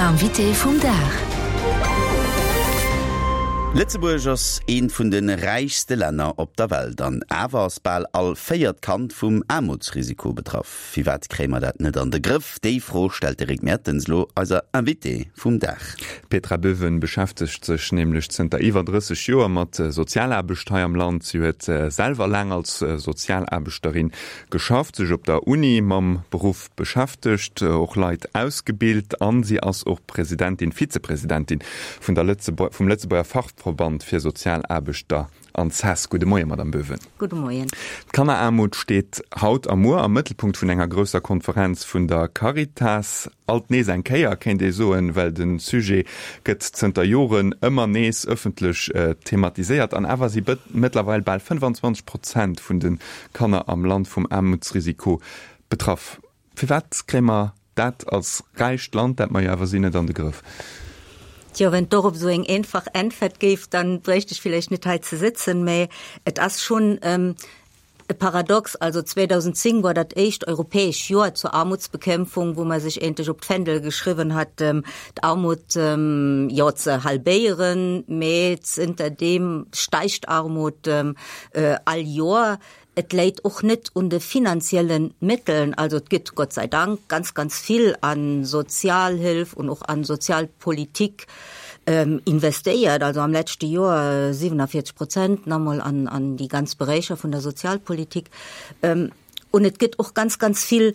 Invité vum Dag. Lëtzebuerg ass eent vun de räichste Länner op der Welt an awer ass bal all véiert Kand vum Aarmutsrisiko betraff. Firwat kréie mer dat net an de Grëff? Déi Fro stellt de Rick Mertens elo eiser Invitée vum Dag. D'Petra Böwen beschäftegt sech nämlech zënter iwwer 30 Joer mat Sozialaarbecht hei am Land. Si huet selwer laang als Sozialaarbechterin geschafft, sech op der Uni mam Beruff beschäftegt, och Leit ausgebilt an si ass och Presidentin, Vizepresidentin vun der Lëtzebuer, vum Lëtzebuerger Fachverband fir Sozialaarbechter an ces. Gudde Moien, Madame Böwen. Gudde Moien. D'Kanneraarmut steet haut a muer am Mëttelpunkt vun enger grousser Konferenz vun der Caritas. Alt nees eng Kéier, kéint ee soen, well de Sujet gëtt zënter Joren ëmmer nees ëffentlech thematiséiert. An awer si mëttlerweil bal 25 Prozent vun de Kanner am Land vum Aarmutsrisiko betraff. Firwat kréie mer dat als räicht Land, dat mer jo awer sinn, net an de Grëff? Tjo, wenn et dorop esou eng einfach Äntwert géif, dann bréicht ech villäicht net hei ze sëtzen, mä et ass schonn E Paradox, also 2010 war dat éischt europäesch Joer zur Armutsbekämpfung, wou mer sech endlech op d'Fändel geschriwwen hat, d'Armut, jo, ze halbéieren, mä zënterdeem steigt d'Armut all Joer. Et läit och net un de finanzielle Mëtteln, also et gëtt Gott sei Dank ganz, ganz vill a Sozialhëlf und och an Sozialpolitik investéiert, also am leschte Joer 47 Prozent nach emol an, an déi ganz Beräicher vun der Sozialpolitik. Und et gëtt och ganz, ganz vill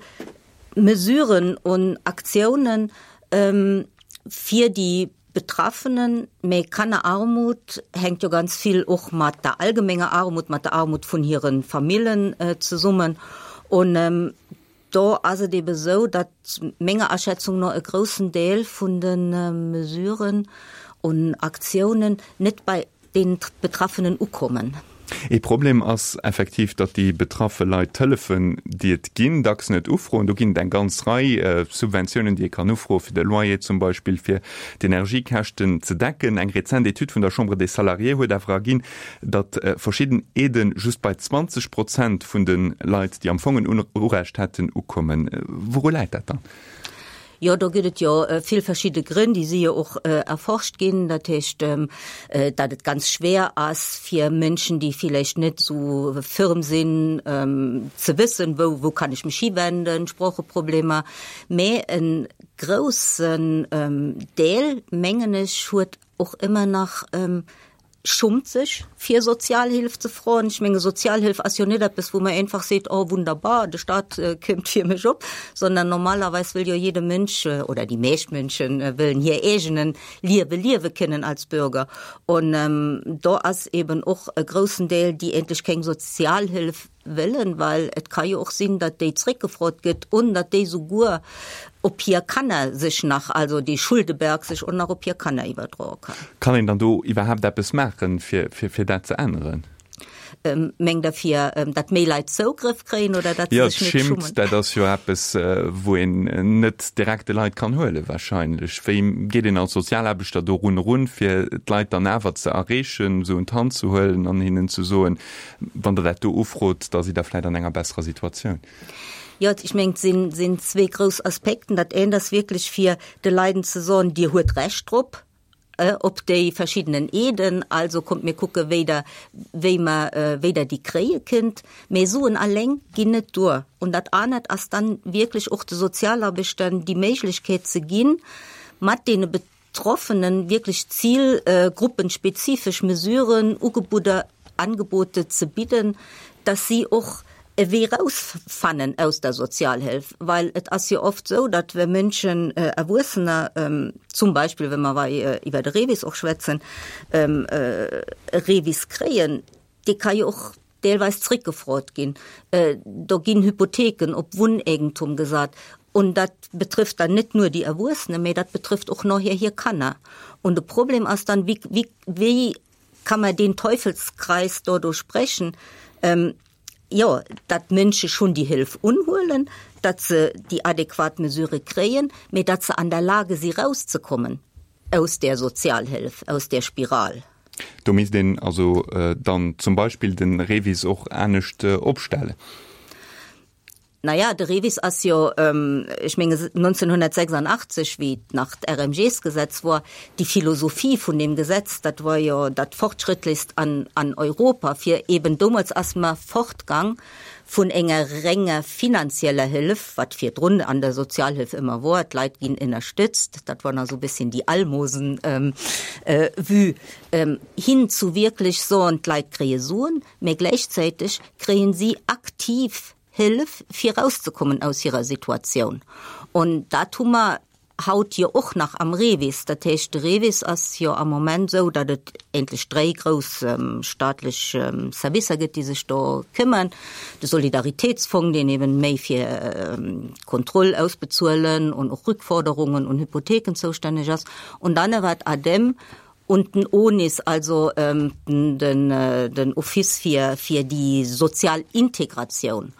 Mesuren und Aktiounen fir déi Betraffenen. Mä Kannerarmut hänkt jo ganz vill och mat der allgemenger Armut, mat der Armut vun hire Famillen zesummen. Und Do ass et ebe sou, datt menger Aschätzung no e groussen Deel vun de Mesuren un Aktiounen net bei deenen Betraffenen ukommen. Ee Problem ass effektiv, datt déi betraffe Leit d'Hëllefen, déi et ginn, dacks net ufroen. Do ginn et eng ganz Rei Subventiounen, déi ee kann ufroen, fir de Loyer zum Beispill, fir d'Energiekäschten ze decken. Eng rezent Etüd vun der Chambre des Salariés huet awer erginn, datt verschidden Aiden just bei 20 Prozent vun de Leit, déi am Fong en Urecht hätten, ukommen. Wouru läit dat dann? Jo, do gëtt et jo vill verschidde Grënn, déi si jo och erforscht ginn. Dat heescht, datt et ganz schwer ass fir Mënschen, déi villäicht net esou firm sinn, ze wëssen, wou, wou kann ech mech hiwenden, Sproocheproblemer. Mä e groussen Deel, mengen ech, huet och ëmmer nach schummt sech fir Sozialhilf ze froen. Ech menge Sozialhilf ass jo net eppes, wou man einfach seet, oh wunderbar, de Staat këmmt fir mech op, sondern normalerweis wëll jo jede Mënsch oder déi meescht Mënschen wëllen hir eegenen Liewe liewe kënnen als Bürger. Und do ass eben och e groussen Deel, déi endlech keng Sozialhilf wëllen, well et ka jo och sinn, datt déi zréckgefrot gëtt un datt déi souguer op hir Kanner sech nach, also dee Schuldeberg sech och nach op hir Kanner iwwerdroe kann. Kann een dann do iwwerhaapt eppes maachen, fir, fir, fir dat ze änneren? Mengt Der, fir datt méi Leit Zougrëff kréien oder datt se sech net schummen? Jo, d'Schimmt, dat ass jo eppes, wou een net direkt de Leit kann huelen wahrscheinlech. Wéi geet een als Sozialaarbechter dorun erun, fir d'Leit dann awer ze erreechen, se un d'Hand ze huelen an hinnen ze soen, Wann Der dat do ufrot, da sidd Der vläicht an enger besserer Situatioun. Jo, ech mengen, et sinn, sinn zwee grouss Aspekten. Dat eent ass wierklech, fir de Leiden ze soen, Dir huet Recht drop, op déi verschiddenen Aiden, also kommt mir kucke wéi Der, wéi mer, wéi Der déi kréie kënnt. Mä Suen alleng ginn net duer. Und dat anert ass dann wierklech och de Sozialarbechtern déi Méiglechkeet ze ginn, mat deene Betroffenen wierklech zilgruppenspezifesch Mesuren, Ugebudder, Angebote ze bidden, dass si och e Wee raus fannen aus der Sozialhilf, well et ass jo oft esou, datt wa Mënschen, Erwuessener, zum Beispill wa mer hei iwwer de REVIS och schwätzen, e REVIS kréien, dee ka jo och deelweis zréckgefrot ginn. Do ginn Hypotheken op Wunnegentum gesat. Und dat betrifft dann net nur déi Erwuessene, mä dat betrifft och nachher hir Kanner. Und de Problem ass dann, wéi, wéi, wéi kann man deen Teufelskreis do durchbrechen? Jo, datt d'Mënsche schonn déi Hëlf unhuelen, datt se déi adequat Mesure kréien, mä datt se an der Lage si rauszekommen aus där Sozialhëlf, aus där Spiral. Do misst een also dann zum Beispill de REVIS och anescht opstellen. Naja, de REVIS ass jo, ech menge 1986, wéi nach d'RMGs-Gesetz wor, déi Philosophie vun deem Gesetz, dat wor jo dat Fortschrëttlechst an an Europa, fir eben, domols ass mer fortgang vun enger renger finanzieller Hëllef, wat virdrun an der Sozialhëlf ëmmer wor, d'Leit ginn ënnerstëtzt, dat wor nach esou e bësschen déi Almosen-Vue, hin zu wierklech soen, d'Leit kréie Suen, mä gläichzäiteg kréien si aktiv Hëllef, fir erauszekommen aus hirer Situatioun. Und dat hu mer haut jo och nach am REVIS. Dat heescht, de REVIS ass jo am Moment esou, datt et eigentlech dréi grouss staatlech Servicer gëtt, déi sech do këmmern. De Solidaritätsfong, deen eben méi fir d'Kontroll ausbezuelen und och Rückforderungen und Hypotheken zoustänneg ass. Und dann awer d'ADEM Und den ONIS, also den Office fir fir déi sozial Integratioun.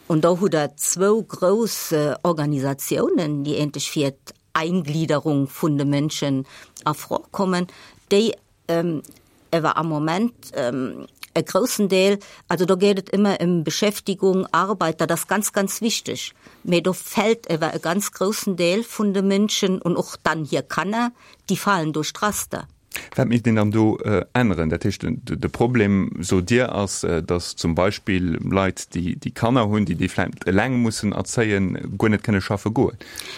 Und do hutt Der zwou grouss Organisatiounen, déi eentlech fir d'Eingliederung vun de Mënschen a Fro kommen, déi ewer am Moment e groussen Deel, also do geet et ëmmer ëm Beschäftigung, Arbeit, dat ass ganz, ganz wichteg, mä do fält ewer e ganz groussen Deel vun de Mënschen und och dann hir Kanner, Déi falen duerch d'Raster. Wat misst een dann do änneren? Dat heescht, de Problem, sot Dir, ass, datt zum Beispill Leit, déi Kanner hunn, déi déi vläicht eleng mussen erzéien, guer net kënne schaffe goen.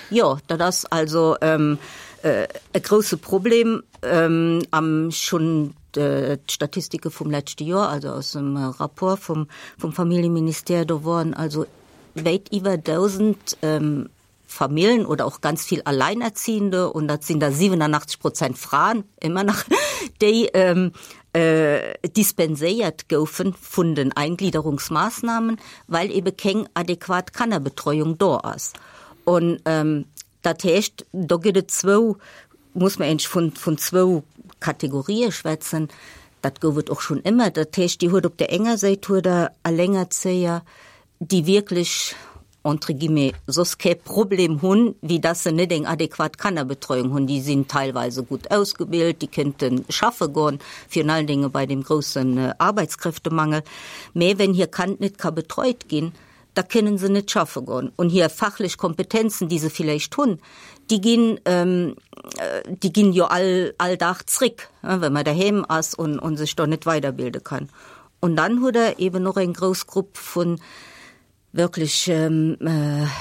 Jo, dat ass also e grousse Problem. Am schonn d'Statistike vum leschte Joer, also aus dem Rapport vum Familljeministère, do woren also wäit iwwer 1.000 Famillen oder och ganz vill Alleinerziehende, und dat sinn der 87 Prozent Fraen ëmmer nach, déi dispenséiert goufe vun den Eingliederungsmaßnahmen, well ebe keng adequat Kannerbetreuung do ass. Und dat heescht, do gëtt et zwou, muss mer eigentlech vun, vun zwou Kategorië schwätzen. Dat gouf et och schonn ëmmer. Dat heescht, Dir huet op där enger Säit huet Der Allengerzéier, déi wierklech entre guillemets, soss kee Problem hunn, wéi dass se net eng adequat Kannerbetreuung hunn. Déi sinn teilweise gutt ausgebilt, déi kënnte schaffe goen, virun allen Dinge bei deem groussen Arbeitskräftemangel. Mä wenn hir Kand net ka betreut ginn, da kënnen se net schaffe goen. Und hir fachlech Kompetenzen, déi se villäicht hunn, déi ginn, déi ginn jo all, all Dag zréck, well man daheem ass und, und sech do net weiderbilde kann. Und dann hutt Der eben och eng grouss Grupp vun wierklech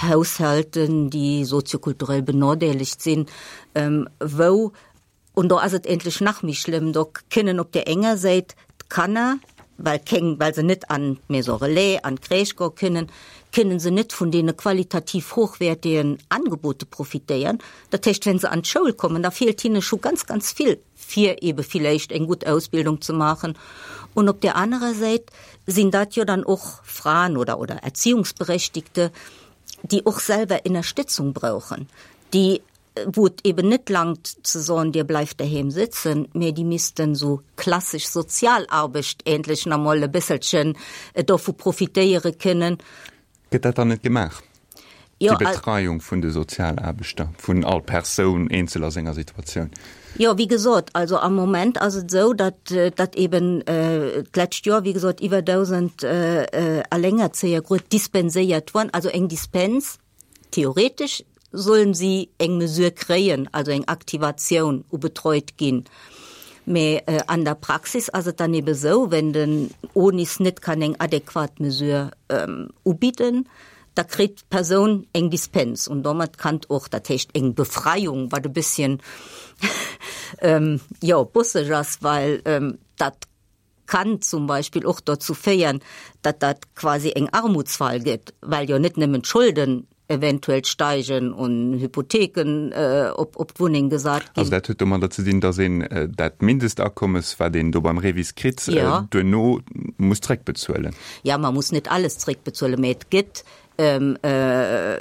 Haushalten, déi soziokulturell benodeelegt sinn, wou, und do ass et endlech nach méi schlëmm, do kënnen op där enger Säit d'Kanner, well keng, well se net an d'Maison relais, an d'Crèche goe kënnen, kënnen se net vun deene qualitativ hochwertigen Angebote profitéieren. Dat heescht, wenn se an d'Schoul kommen, da feelt hinne scho ganz, ganz vill. fir ebe villäicht eng gutt Ausbildung ze maachen. Und op där anerer Säit sinn dat jo dann och Fraen oder, oder Erziehungsberechtigte, déi och selwer Ënnerstëtzung brauchen, déi, wou et eben net langt ze soen, Dir bleift doheem sitzen, mä déi missten esou klassesch Sozialarbecht ähnlech nach emol e bësselchen dovu profitéiere kënnen. Gëtt dat dann net gemaach, déi Betreiung vun de Sozialaarbechter, vun all Persoun eenzel a senger Situatioun? Jo, wéi gesot, also am Moment ass et esou, datt, datt eben d'lescht Joer, wéi gesot, iwwer 1.000 Allengerzéier grad dispenséiert wurden, also eng Dispens, theoretesch sollen si eng Mesure kréien, also eng Aktivatioun ubetreut ginn. Mä an der Praxis ass et dann ebe sou, wenn den ONIS net kann eng adequat Mesure ubidden, da kritt d'Persoun eng Dispens und domat kann och, dat heescht eng Befreiung, wat e bësschen jo bosseg ass, well dat kann zum Beispill och dozou féieren, datt dat quasi eng Armutsfal gëtt, well jo net nëmmen d'Scholden eventuell steigen und Hypotheken op op d'Wunneng gesat ginn. Also dat huet domadder ze dinn, datt een dat Mindestakommes, wat een do beim REVIS kritt, duerno muss zréckbezuelen. Ja, ma muss net alles zréckbezuelen, mä et gëtt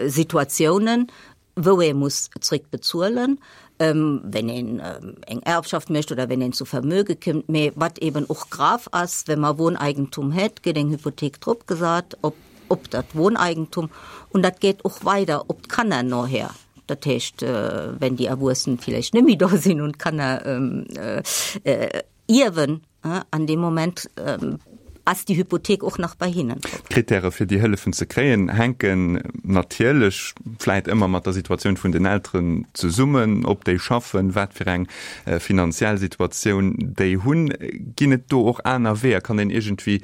Situatiounen, wou ee muss zréck bezuelen, wenn een eng Erbschaft mécht oder wenn een zu Vermöge kënnt. Mä wat eben och grav ass, wenn mer Wohneigentum hätt, gëtt eng Hypothek drop gesat op, op dat Wohneigentum und dat geet och weider op d'Kanner noher. Dat heescht, wenn déi Erwuessen villäicht net méi do sinn und d'Kanner ierwen, an deem Moment. Ass déi Hypothek och nach bei hinnen drop? D'Krittäre fir déi Hëllefen ze kréien hänken natierlech vläit ëmmer mat der Situatioun vun den Elteren zesummen, ob déi schaffen, wat fir eng finanziell Situatioun déi hunn. Ginn et do och aner Weeër? Kann een iergendwéi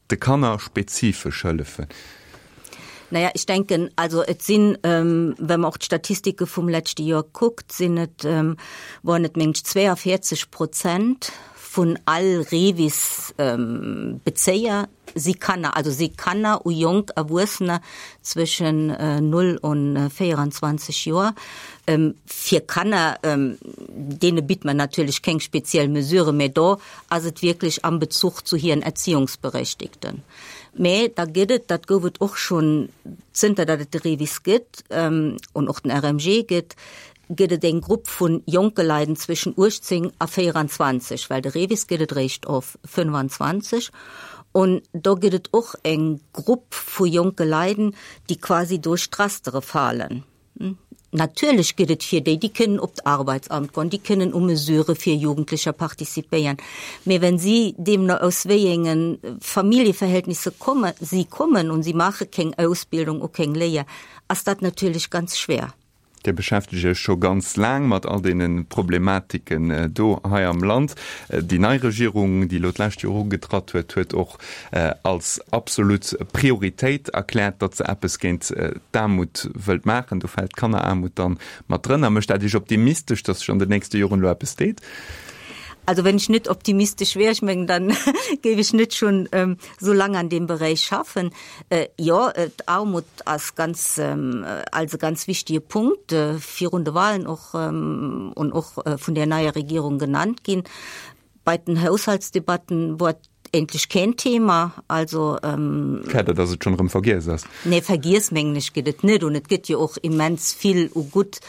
de Kanner spezifesch hëllefen? Naja, ich denken, also et sinn, wa mer och d'Statistike vum leschte Joer kuckt, sinn et, waren et mengen ech 42 Prozent vun all REVIS-Bezéier si Kanner, also si Kanner u jonk Erwuessener zwëschen 0 un 24 Joer. Fir Kanner, deene bitt mer natierlech keng speziell Mesure, mä do ass et wierklech am Bezuch zu hiren Erziehungsberechtigten. Mä da gëtt et, dat gouf et och schonn zënter datt et de REVIS gëtt an och den RMG gëtt, gëtt et eng Grupp vu jonke Leiden zwëschen 18 a 24, well de REVIS gëtt et eréischt of 25, an do gëtt et och eng Grupp vu jonke Leiden, déi quasi duerch d'Rastere falen. Natierlech gëtt et fir déi, déi kënnen op d'Arbeitsamt goen, déi kënnen u Mesurë fir Jugendlecher participéieren, mä wenn si deemno aus wéi enge Familljeverhältnisse komme, si kommen und si maache keng Ausbildung u keng Léier, ass dat natierlech ganz schwer. Dir beschäftegt Iech scho ganz laang mat all deene Problematiken do hei am Land. Déi nei Regierung, déi elo d'lescht Joer ugetratt huet, huet och als absolut Prioritéit erkläert, datt se eppes géint d'Aarmut wëllt maachen. Do fält d'Kanneraarmut dann mat drënner. Mécht dat Iech optimistesch, datt sech an den nächste Joren elo eppes deet? Also wenn ech net optimistesch wär, ech mengen, dann géif ech net schonn esou laang an deem Beräich schaffen. Jo, d'Armut ass ganz, als e ganz wichtige Punkt virun de Wahlen och und och vun der neier Regierung genannt ginn. Bei den Haushaltsdebatten wor et endlech keen Thema. Also. Klar, dat ass et schonn erëm vergiess ass. Nee, vergiess mengen ech gëtt et net. Und et gëtt jo och immens vill u gutt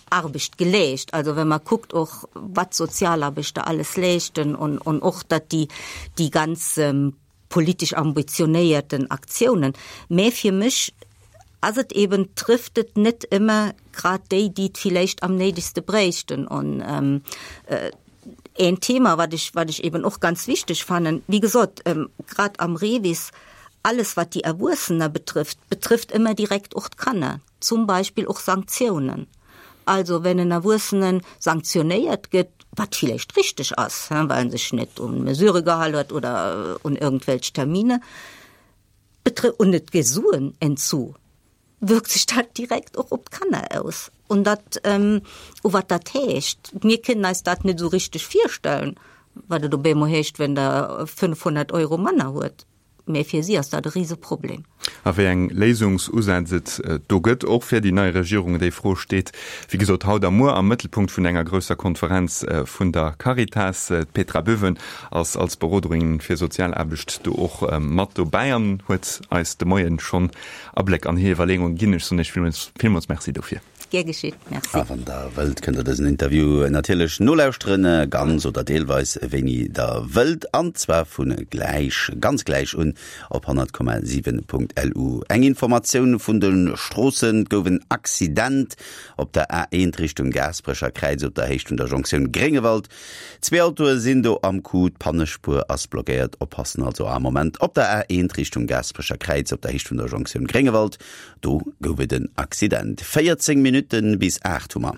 Arbecht geleescht. Also wa mer kuckt och wat d'Sozialarbechter alles leeschten und, und och datt déi, déi ganz politesch ambitionéierten Aktiounen, mä fir mech ass et eben, trifft et net ëmmer grad déi, déi et villäicht am néidegste bräichten. An een Thema, wat ech, wat ech eben och ganz wichteg fannen, wéi gesot, grad am REVIS, alles wat déi Erwuessener betrifft, betrifft ëmmer direkt och d'Kanner, zum Beispill och Sanktiounen. Also wenn en Erwuessene sanktionéiert gëtt, wat villäicht richteg ass, well en sech net un Mesurë gehal huet oder un irgendwelch Termine, und et gëtt Suen entzu, wirkt sech dat direkt och op d'Kanner aus. Und dat, u wat dat heescht, mir kënnen eis dat net esou richteg virstellen, wat et op eemol heescht, wenn Der 500 Euro manner huet. Mä fir si ass dat e Riseproblem. A wéi eng Léisungsusätz et do gëtt, och fir déi nei Regierung, déi Fro steet, wéi gesot, haut a muer am Mëttelpunkt vun enger grousser Konferenz vun der Caritas. D'Petra Böwen ass als Beroderin fir Sozialaarbecht do och mat dobäi an huet eis de Moien schonn Abléck an hir Iwwerleeunge ginn. Ech soen Iech villmools Merci dofir. Gär geschitt, merci. A wann der wëllt, kënnt der dësen Interview natierlech nolauschteren, ganz oder deelweis, wéini der wëllt, an zwar vu gläich, ganz gläich un op 100,7.lu. Eng Informatioun vun de Stroossen, Et gouf en Accident op der A1 Richtung Gaasperecher Kräiz op der Héicht vun der Jonktioun Gréngewald. Zwee Autoe sinn do am Coup, d'Pannespuer ass blockéiert. Oppassen also am Moment op der A1 Richtung Gaasperecher Kräiz op der Héicht vun der Jonktioun Gréngewald. Do gouf et en Accident. 14 Minutte bis 8 hu mer.